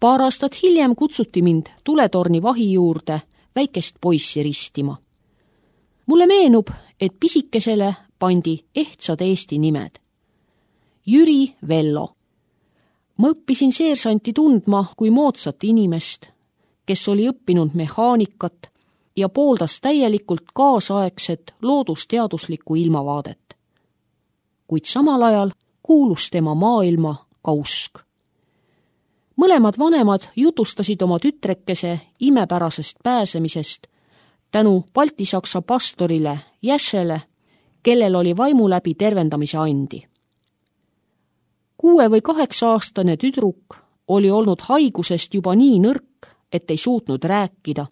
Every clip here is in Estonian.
Paar aastat hiljem kutsuti mind tuletorni vahi juurde väikest poissi ristima. Mulle meenub, et pisikesele pandi ehtsad Eesti nimed. Jüri Vello. Ma õppisin seersanti tundma kui moodsat inimest, kes oli õppinud mehaanikat ja pooldas täielikult kaasaegset loodusteaduslikku ilmavaadet. Kuid samal ajal kuulus tema maailma ka usk. Mõlemad vanemad jutustasid oma tütrekese imepärasest pääsemisest tänu baltisaksa pastorile Jäšele, kellel oli vaimu läbi tervendamise andi. 6- või 8-aastane tüdruk oli olnud haigusest juba nii nõrk, et ei suutnud rääkida.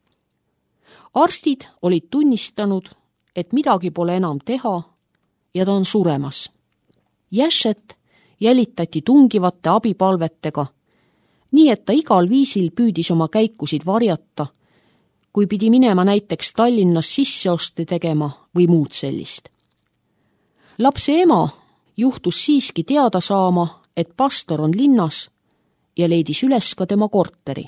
Arstid olid tunnistanud, et midagi pole enam teha ja ta on suremas. Jäšet jälitati tungivate abipalvetega, nii et ta igal viisil püüdis oma käikusid varjata, kui pidi minema näiteks Tallinnas sisseoste tegema või muud sellist. Lapse ema juhtus siiski teada saama, et pastor on linnas ja leidis üles ka tema korteri.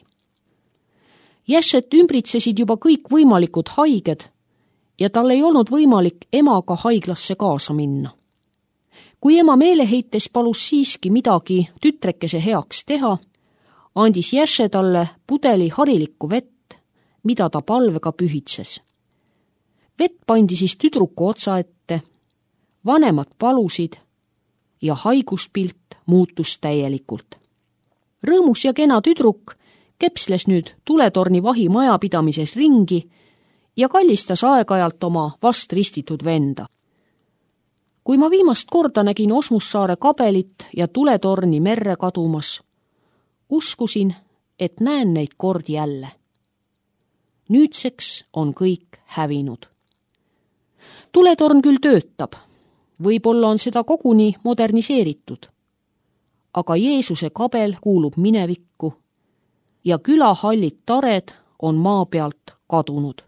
Jäšet ümbritsesid juba kõik võimalikud haiged ja tal ei olnud võimalik emaga haiglasse kaasa minna. Kui ema meeleheites palus siiski midagi tütrekese heaks teha, andis Jäše talle pudeli harilikku vett, mida ta palvega pühitses. Vett pandi siis tüdruku otsa ette, vanemad palusid ja haiguspilt muutus täielikult. Rõõmus ja kena tüdruk kepsles nüüd tuletorni vahi majapidamises ringi ja kallistas aeg-ajalt oma vast ristitud venda. Kui ma viimast korda nägin Osmussaare kabelit ja tuletorni merre kadumas, uskusin, et näen neid kord jälle. Nüüdseks on kõik hävinud. Tuletorn küll töötab, võib-olla on seda koguni moderniseeritud, aga Jeesuse kabel kuulub minevikku ja külahallid tared on maa pealt kadunud.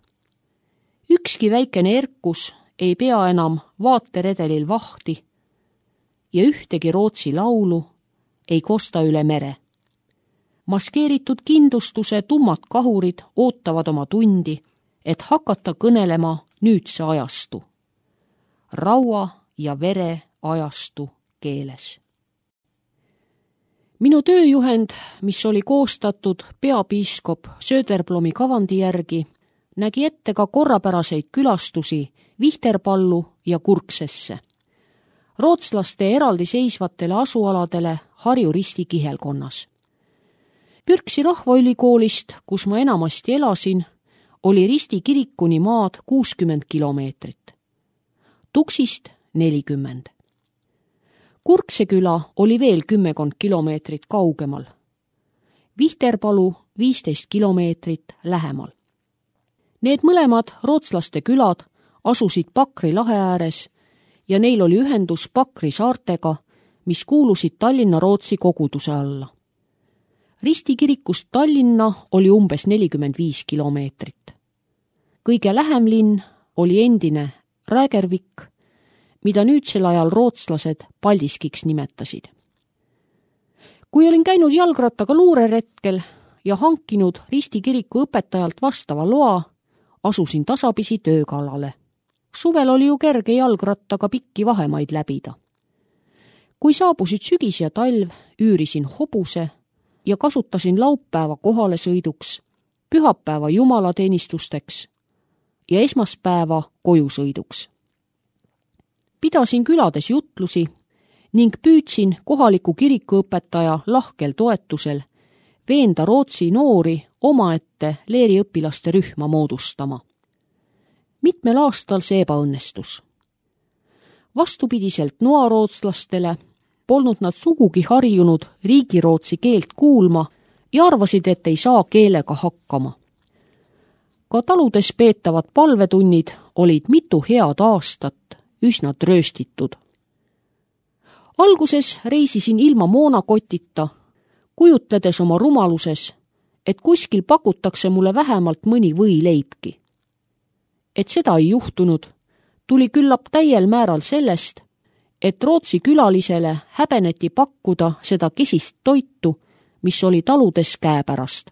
Ükski väikene erkus ei pea enam vaateredelil vahti ja ühtegi Rootsi laulu ei kosta üle mere. Maskeeritud kindlustuse tummad kahurid ootavad oma tundi, et hakata kõnelema nüüdse ajastu. Raua ja vere ajastu keeles. Minu tööjuhend, mis oli koostatud peapiiskop Söderblomi kavandi järgi, nägi ette ka korrapäraseid külastusi Vihterpallu ja Kurksesse, rootslaste eraldiseisvatele asualadele Harju Risti kihelkonnas. Pürksi rahvaülikoolist, kus ma enamasti elasin, oli Risti kirikuni maad 60 kilomeetrit. Tuksist 40. Kurkse küla oli veel 10 kilomeetrit kaugemal. Vihterpalu 15 kilomeetrit lähemal. Need mõlemad rootslaste külad asusid Pakri lahe ääres ja neil oli ühendus Pakri saartega, mis kuulusid Tallinna-Rootsi koguduse alla. Risti kirikust Tallinna oli umbes 45 kilomeetrit. Kõige lähem linn oli endine Rägervik, mida nüüdsel ajal rootslased Paldiskiks nimetasid. Kui olin käinud jalgrattaga luureretkel ja hankinud Risti kiriku õpetajalt vastava loa, asusin tasapisi töö kallale. Suvel oli ju kerge jalgrattaga pikki vahemaid läbida. Kui saabusid sügis ja talv, üürisin hobuse ja kasutasin laupäeva kohalesõiduks, pühapäeva jumalateenistusteks ja esmaspäeva kojusõiduks. Pidasin külades jutlusi ning püüdsin kohaliku kirikuõpetaja lahkel toetusel veenda Rootsi noori omaette leeriõpilaste rühma moodustama. Mitmel aastal see ebaõnnestus. Vastupidiselt noarootslastele polnud nad sugugi harjunud riigirootsi keelt kuulma ja arvasid, et ei saa keelega hakkama. Ka taludes peetavad palvetunnid olid mitu head aastat üsna trööstitud. Alguses reisisin ilma moonakotita, kujutledes oma rumaluses, et kuskil pakutakse mulle vähemalt mõni võileibki. Et seda ei juhtunud, tuli küllap täiel määral sellest, et Rootsi külalisele häbeneti pakkuda seda kesist toitu, mis oli taludes käepärast.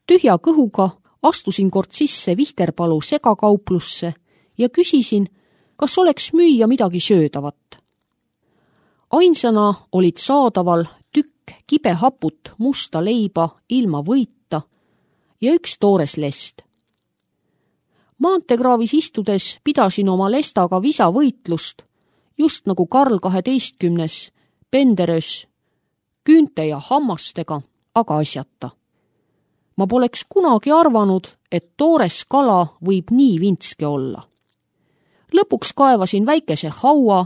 Tühja kõhuga astusin kord sisse Vihterpalu segakauplusse ja küsisin, kas oleks müüa midagi söödavat. Ainsana olid saadaval tükk kibehaput musta leiba ilma võita ja üks toores lest. Maanteekraavis istudes pidasin oma lestaga visavõitlust, just nagu Karl 12. Penderös, küünte ja hammastega, aga asjata. Ma poleks kunagi arvanud, et toores kala võib nii vintske olla. Lõpuks kaevasin väikese haua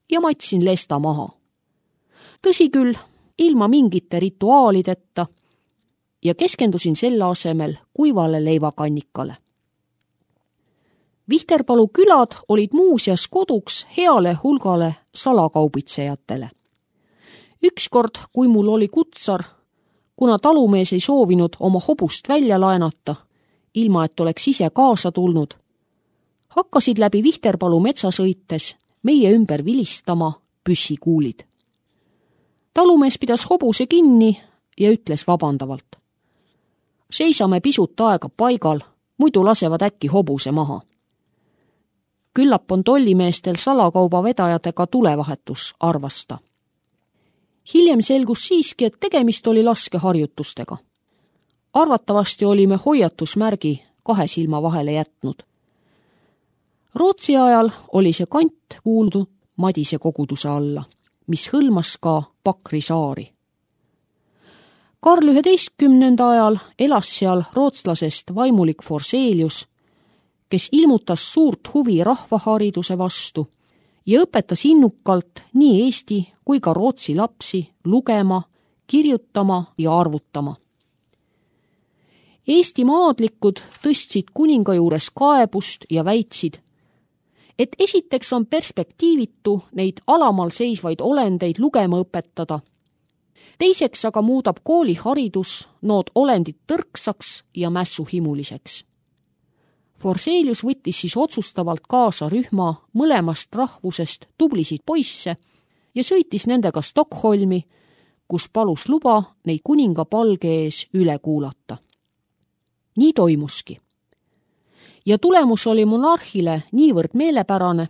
ja matsin lesta maha. Tõsi küll, ilma mingite rituaalideta ja keskendusin selle asemel kuivale leivakannikale. Vihterpalu külad olid muuseas koduks heale hulgale salakaubitsejatele. Ükskord, kui mul oli kutsar, kuna talumees ei soovinud oma hobust välja laenata, ilma et oleks ise kaasa tulnud, hakkasid läbi Vihterpalu metsa sõites meie ümber vilistama püssikuulid. Talumees pidas hobuse kinni ja ütles vabandavalt. Seisame pisut aega paigal, muidu lasevad äkki hobuse maha. Küllap on tollimeestel salakauba vedajatega tulevahetus, arvas ta. Hiljem selgus siiski, et tegemist oli laskeharjutustega. Arvatavasti olime hoiatusmärgi 2 silma vahele jätnud. Rootsi ajal oli see kant kuuldu Madise koguduse alla, mis hõlmas ka Pakri saari. Karl 11. ajal elas seal rootslasest vaimulik Forselius, kes ilmutas suurt huvi rahvahariduse vastu ja õpetas innukalt nii eesti kui ka rootsi lapsi lugema, kirjutama ja arvutama. Eesti maadlikud tõstsid kuninga juures kaebust ja väitsid, et esiteks on perspektiivitu neid alamal seisvaid olendeid lugema õpetada, teiseks aga muudab kooliharidus nood olendid tõrksaks ja mässuhimuliseks. Forselius võttis siis otsustavalt kaasa rühma mõlemast rahvusest tublisid poisse ja sõitis nendega Stockholmi, kus palus luba neid kuninga palge ees üle kuulata. Nii toimuski. Ja tulemus oli monarhile niivõrd meelepärane,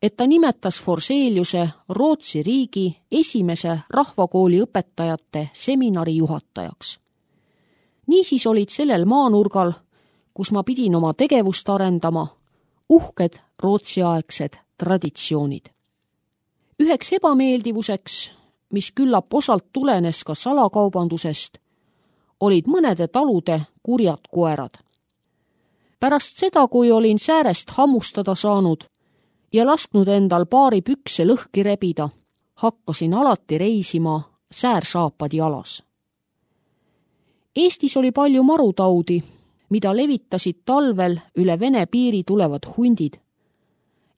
et ta nimetas Forseliuse Rootsi riigi esimese rahvakooli õpetajate seminari juhatajaks. Niisiis olid sellel maanurgal, kus ma pidin oma tegevust arendama, uhked rootsiaegsed traditsioonid. Üheks ebameeldivuseks, mis küllap osalt tulenes ka salakaubandusest, olid mõnede talude kurjad koerad. Pärast seda, kui olin säärest hammustada saanud ja lasknud endal paari pükse lõhki rebida, hakkasin alati reisima säärsaapad jalas. Eestis oli palju marutaudi, mida levitasid talvel üle Vene piiri tulevad hundid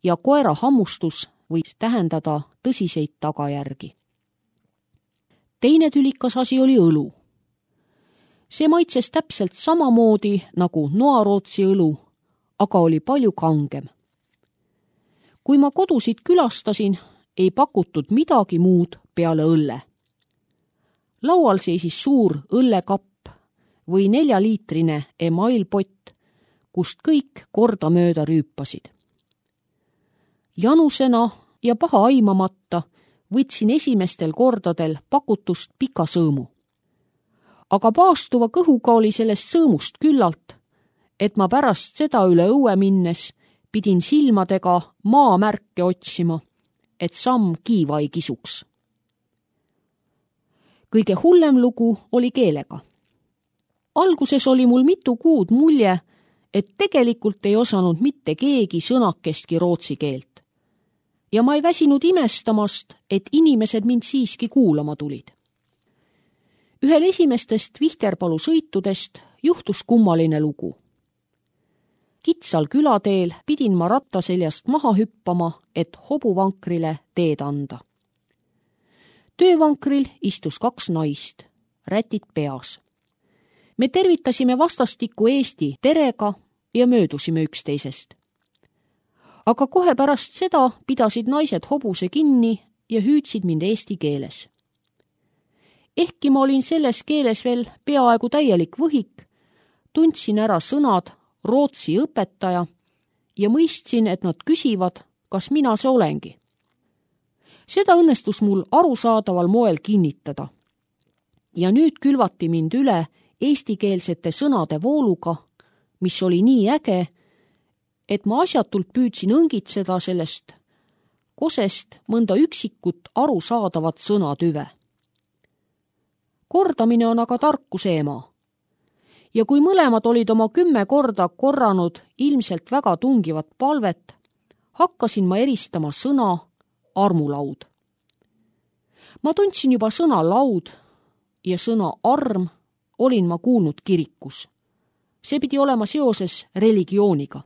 ja koera hammustus võib tähendada tõsiseid tagajärgi. Teine tülikas asi oli õlu. See maitses täpselt samamoodi nagu noarootsi õlu, aga oli palju kangem. Kui ma kodusid külastasin, ei pakutud midagi muud peale õlle. Laual seisis suur õllekapp või 4-liitrine emailpott, kust kõik kordamööda rüüpasid. Janusena ja paha aimamata võtsin esimestel kordadel pakutust pika sõõmu. Aga paastuva kõhuga oli sellest sõõmust küllalt, et ma pärast seda üle õue minnes pidin silmadega maamärke otsima, et samm kiiva ei kisuks. Kõige hullem lugu oli keelega. Alguses oli mul mitu kuud mulje, et tegelikult ei osanud mitte keegi sõnakestki rootsi keelt. Ja ma ei väsinud imestamast, et inimesed mind siiski kuulama tulid. Ühel esimestest Vihterpalu sõitudest juhtus kummaline lugu. Kitsal külateel pidin ma rattaseljast maha hüppama, et hobuvankrile teed anda. Töövankril istus 2 naist, rätid peas. Me tervitasime vastastikku Eesti terega ja möödusime üksteisest. Aga kohe pärast seda pidasid naised hobuse kinni ja hüüdsid mind eesti keeles. Ehkki ma olin selles keeles veel peaaegu täielik võhik, tundsin ära sõnad rootsi õpetaja ja mõistsin, et nad küsivad, kas mina see olengi. Seda õnnestus mul arusaadaval moel kinnitada. Ja nüüd külvati mind üle eestikeelsete sõnade vooluga, mis oli nii äge, et ma asjatult püüdsin õngitseda sellest kosest mõnda üksikut arusaadavat sõnatüve. Kordamine on aga tarkuse ema. Ja kui mõlemad olid oma 10 korda korranud ilmselt väga tungivat palvet, hakkasin ma eristama sõna armulaud. Ma tundsin juba sõna laud ja sõna arm olin ma kuulnud kirikus. See pidi olema seoses religiooniga.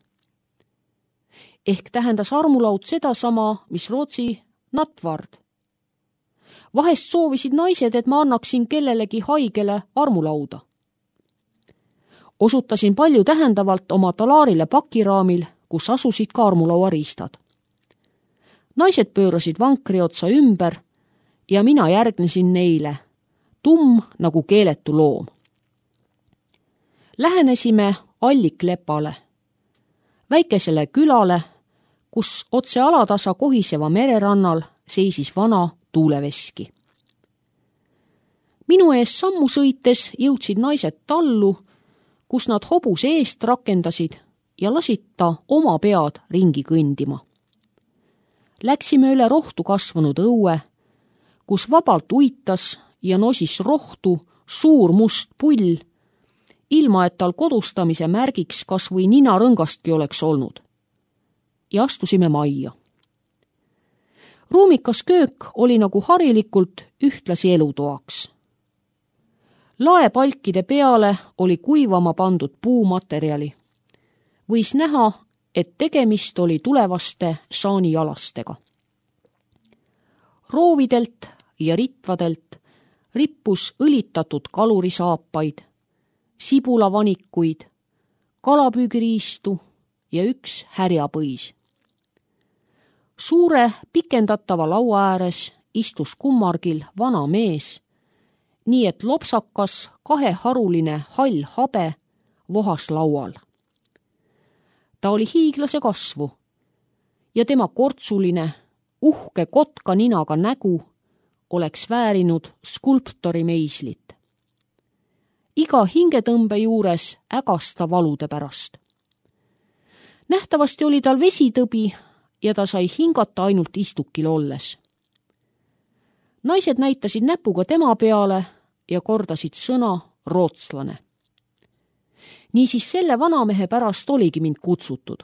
Ehk tähendas armulaud sedasama, mis rootsi natvard. Vahest soovisid naised, et ma annaksin kellelegi haigele armulauda. Osutasin palju tähendavalt oma talaarile pakiraamil, kus asusid ka armulauariistad. Naised pöörasid vankri otsa ümber ja mina järgnesin neile, tumm nagu keeletu loom. Lähenesime Alliklepale, väikesele külale, kus otse alatasa kohiseva mererannal seisis vana tuuleveski. Minu ees sammu sõites jõudsid naised tallu, kus nad hobuse eest rakendasid ja lasid ta oma pead ringi kõndima. Läksime üle rohtu kasvanud õue, kus vabalt uitas ja nosis rohtu suur must pull, ilma et tal kodustamise märgiks kas või ninarõngastki oleks olnud. Ja astusime majja. Ruumikas köök oli nagu harilikult ühtlasi elutoaks. Laepalkide peale oli kuivama pandud puumaterjali. Võis näha, et tegemist oli tulevaste saanijalastega. Roovidelt ja ritvadelt rippus õlitatud kalurisaapaid, sibulavanikuid, kalapüügiriistu ja üks härjapõis. Suure pikendatava laua ääres istus kummargil vana mees, nii et lopsakas kaheharuline hall habe vohas laual. Ta oli hiiglase kasvu ja tema kortsuline, uhke kotka ninaga nägu oleks väärinud skulptori meislit. Iga hingetõmbe juures ägas ta valude pärast. Nähtavasti oli tal vesitõbi ja ta sai hingata ainult istukil olles. Naised näitasid näpuga tema peale ja kordasid sõna rootslane. Niisiis selle vanamehe pärast oligi mind kutsutud.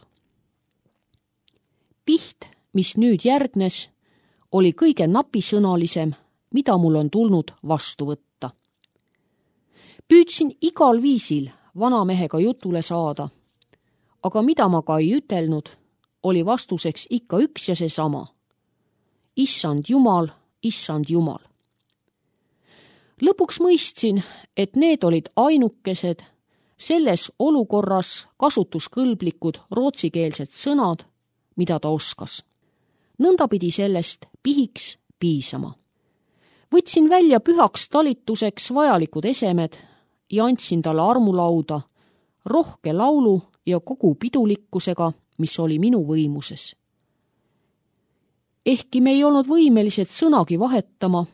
Piht, mis nüüd järgnes, oli kõige napisõnalisem, mida mul on tulnud vastu võtta. Püüdsin igal viisil vanamehega jutule saada, aga mida ma ka ei ütelnud, oli vastuseks ikka üks ja seesama. Issand Jumal, issand Jumal. Lõpuks mõistsin, et need olid ainukesed selles olukorras kasutuskõlblikud rootsikeelsed sõnad, mida ta oskas. Nõnda pidi sellest pihiks piisama. Võtsin välja pühaks talituseks vajalikud esemed ja andsin talle armulauda rohke laulu ja kogu pidulikkusega, mis oli minu võimuses. Ehkki me ei olnud võimelised sõnagi vahetama,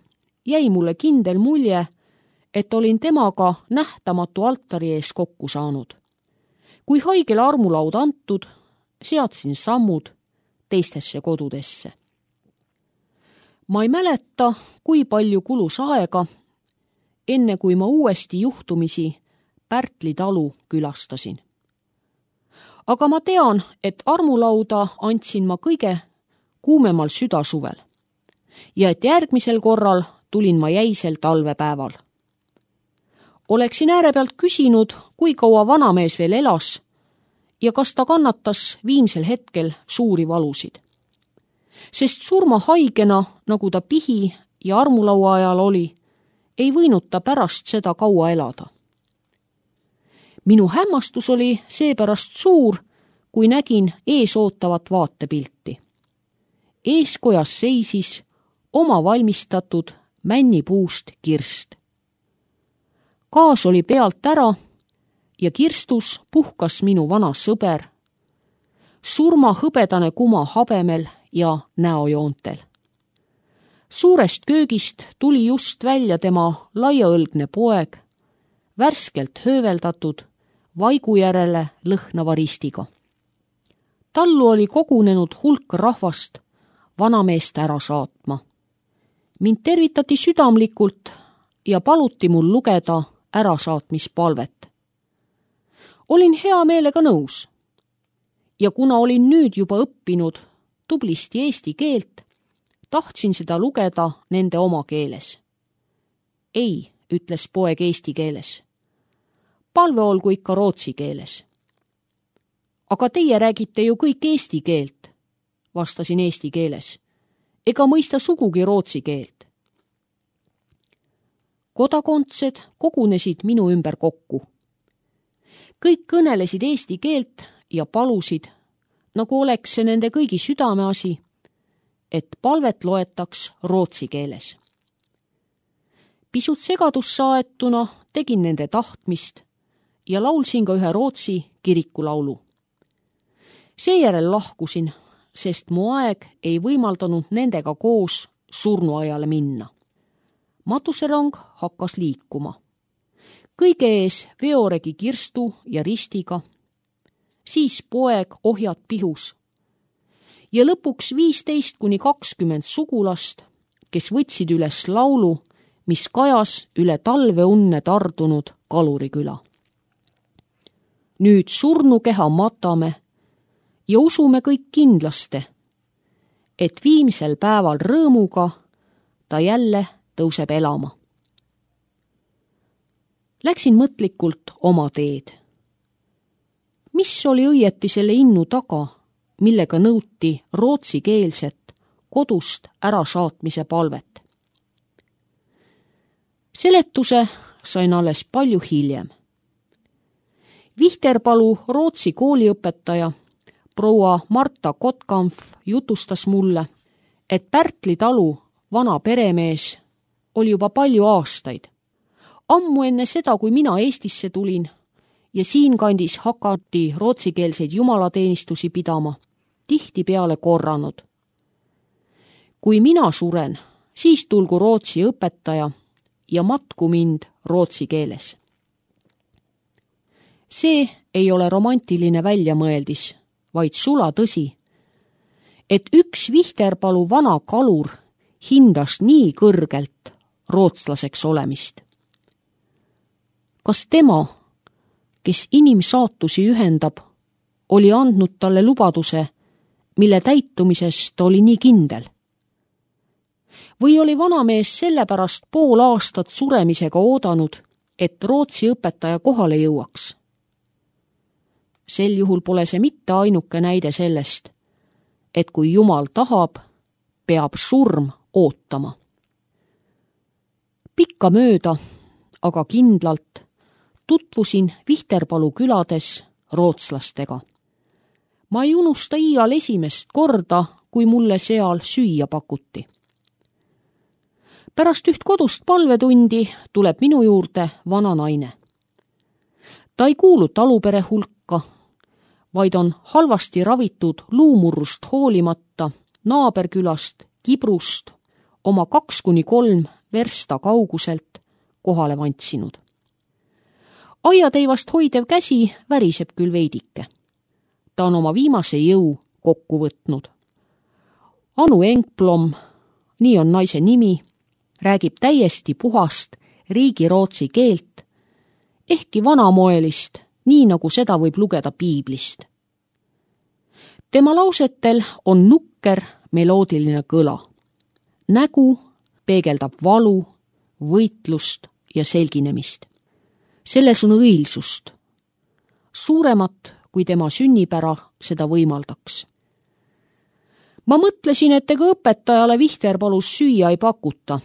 jäi mulle kindel mulje, et olin temaga nähtamatu altari ees kokku saanud. Kui haigele armulaud antud, seadsin sammud teistesse kodudesse. Ma ei mäleta, kui palju kulus aega, enne kui ma uuesti juhtumisi Pärtli talu külastasin. Aga ma tean, et armulauda andsin ma kõige kuumemal südasuvel ja et järgmisel korral tulin ma jäisel talvepäeval. Oleksin äärepealt küsinud, kui kaua vanamees veel elas ja kas ta kannatas viimsel hetkel suuri valusid. Sest surmahaigena, nagu ta pihi ja armulaua ajal oli, ei võinud ta pärast seda kaua elada. Minu hämmastus oli seepärast suur, kui nägin ees ootavat vaatepilti. Eeskojas seisis oma valmistatud männipuust kirst. Gaas oli pealt ära ja kirstus puhkas minu vana sõber, surma hõbedane kuma habemel ja näojoontel. Suurest köögist tuli just välja tema laiaõlgne poeg, värskelt hööveldatud, vaigu järele lõhnava ristiga. Tallu oli kogunenud hulk rahvast vanameest ära saatma. Mind tervitati südamlikult ja paluti mul lugeda ärasaatmispalvet. Olin hea meelega nõus. Ja kuna olin nüüd juba õppinud tublisti eesti keelt, tahtsin seda lugeda nende oma keeles. Ei, ütles poeg eesti keeles. Palve olgu ikka rootsi keeles. Aga teie räägite ju kõik eesti keelt, vastasin eesti keeles, ega mõista sugugi rootsi keelt. Kodakondsed kogunesid minu ümber kokku. Kõik kõnelesid eesti keelt ja palusid, nagu oleks see nende kõigi südameasi, et palvet loetaks rootsi keeles. Pisut segadusse aetuna tegin nende tahtmist ja laulsin ka ühe rootsi kirikulaulu. Seejärel lahkusin, sest mu aeg ei võimaldanud nendega koos surnuaiale minna. Matuserong hakkas liikuma. Kõige ees veoregi kirstu ja ristiga, siis poeg ohjad pihus ja lõpuks 15–20 sugulast, kes võtsid üles laulu, mis kajas üle talveunne tardunud Kaluriküla. Nüüd surnukeha matame ja usume kõik kindlaste, et viimsel päeval rõõmuga ta jälle tõuseb elama. Läksin mõtlikult oma teed. Mis oli õieti selle innu taga, millega nõuti rootsikeelset kodust ärasaatmise palvet? Seletuse sain alles palju hiljem. Vihterpalu Rootsi kooliõpetaja proua Marta Kotkampf jutustas mulle, et Pärtli talu vana peremees oli juba palju aastaid. Ammu enne seda, kui mina Eestisse tulin ja siinkandis hakati rootsikeelseid jumalateenistusi pidama, tihtipeale korranud. Kui mina suren, siis tulgu rootsi õpetaja ja matku mind rootsi keeles. See ei ole romantiline väljamõeldis, vaid sula tõsi, et üks Vihterpalu vana kalur hindas nii kõrgelt rootslaseks olemist. Kas tema, kes inimsaatusi ühendab, oli andnud talle lubaduse, mille täitumises ta oli nii kindel? Või oli vanamees sellepärast pool aastat suremisega oodanud, et rootsi õpetaja kohale jõuaks? Sel juhul pole see mitte ainuke näide sellest, et kui Jumal tahab, peab surm ootama. Pikka mööda, aga kindlalt, tutvusin Vihterpalu külades rootslastega. Ma ei unusta iial esimest korda, kui mulle seal süüa pakuti. Pärast üht kodust palvetundi tuleb minu juurde vana naine. Ta ei kuulu talupere hulka, vaid on halvasti ravitud luumurrust hoolimata naaberkülast Kibrust oma 2–3 versta kauguselt kohale vantsinud. Aiateivast hoidev käsi väriseb küll veidike. Ta on oma viimase jõu kokku võtnud. Anu Engblom, nii on naise nimi, räägib täiesti puhast riigirootsi keelt, ehkki vanamoelist, nii nagu seda võib lugeda piiblist. Tema lausetel on nukker meloodiline kõla. Nägu peegeldab valu, võitlust ja selginemist. Selles on õilsust, suuremat kui tema sünnipära seda võimaldaks. Ma mõtlesin, et ega õpetajale Vihterpalus süüa ei pakuta,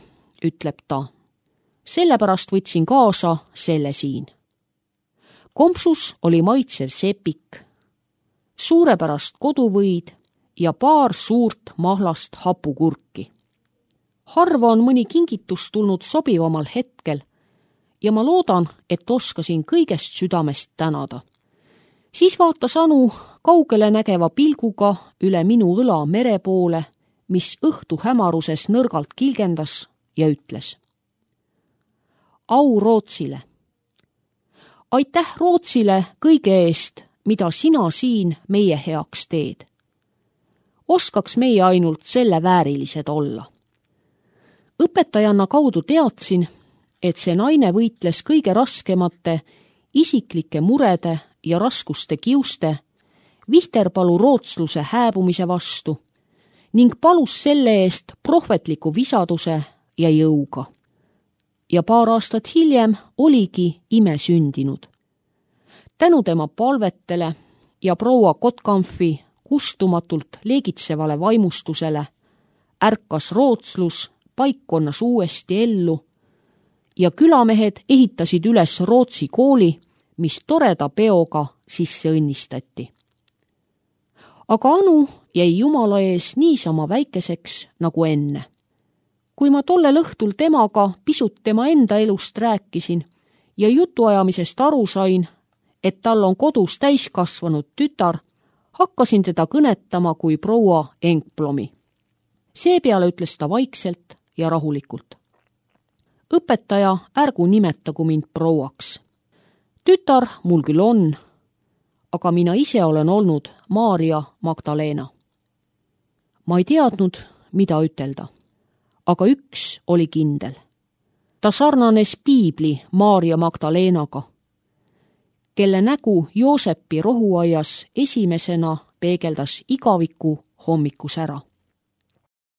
ütleb ta. Sellepärast võtsin kaasa selle siin. Kompsus oli maitsev sepik, suurepärast koduvõid ja paar suurt mahlast hapukurki. Harva on mõni kingitus tulnud sobivamal hetkel ja ma loodan, et oskasin kõigest südamest tänada. Siis vaatas Anu kaugele nägeva pilguga üle minu õla mere poole, mis õhtu hämaruses nõrgalt kilgendas ja ütles. Au Rootsile! Aitäh Rootsile kõige eest, mida sina siin meie heaks teed. Oskaks meie ainult selle väärilised olla. Õpetajanna kaudu teadsin, et see naine võitles kõige raskemate isiklike murede ja raskuste kiuste Vihterpalu rootsluse hääbumise vastu ning palus selle eest prohvetliku visaduse ja jõuga. Ja paar aastat hiljem oligi ime sündinud. Tänu tema palvetele ja proua Kotkamfi kustumatult leegitsevale vaimustusele ärkas rootslus paikkonnas uuesti ellu ja külamehed ehitasid üles Rootsi kooli, mis toreda peoga sisse õnnistati. Aga Anu jäi Jumala ees niisama väikeseks nagu enne. Kui ma tollel õhtul temaga pisut tema enda elust rääkisin ja jutuajamisest aru sain, et tal on kodus täiskasvanud tütar, hakkasin teda kõnetama kui proua Engplomi. Seepeale ütles ta vaikselt ja rahulikult. Õpetaja, ärgu nimetagu mind prouaks. Tütar mul küll on, aga mina ise olen olnud Maarja Magdalena. Ma ei teadnud, mida ütelda, aga üks oli kindel. Ta sarnanes piibli Maarja Magdalenaga, kelle nägu Joosepi rohuaias esimesena peegeldas igaviku hommikus ära.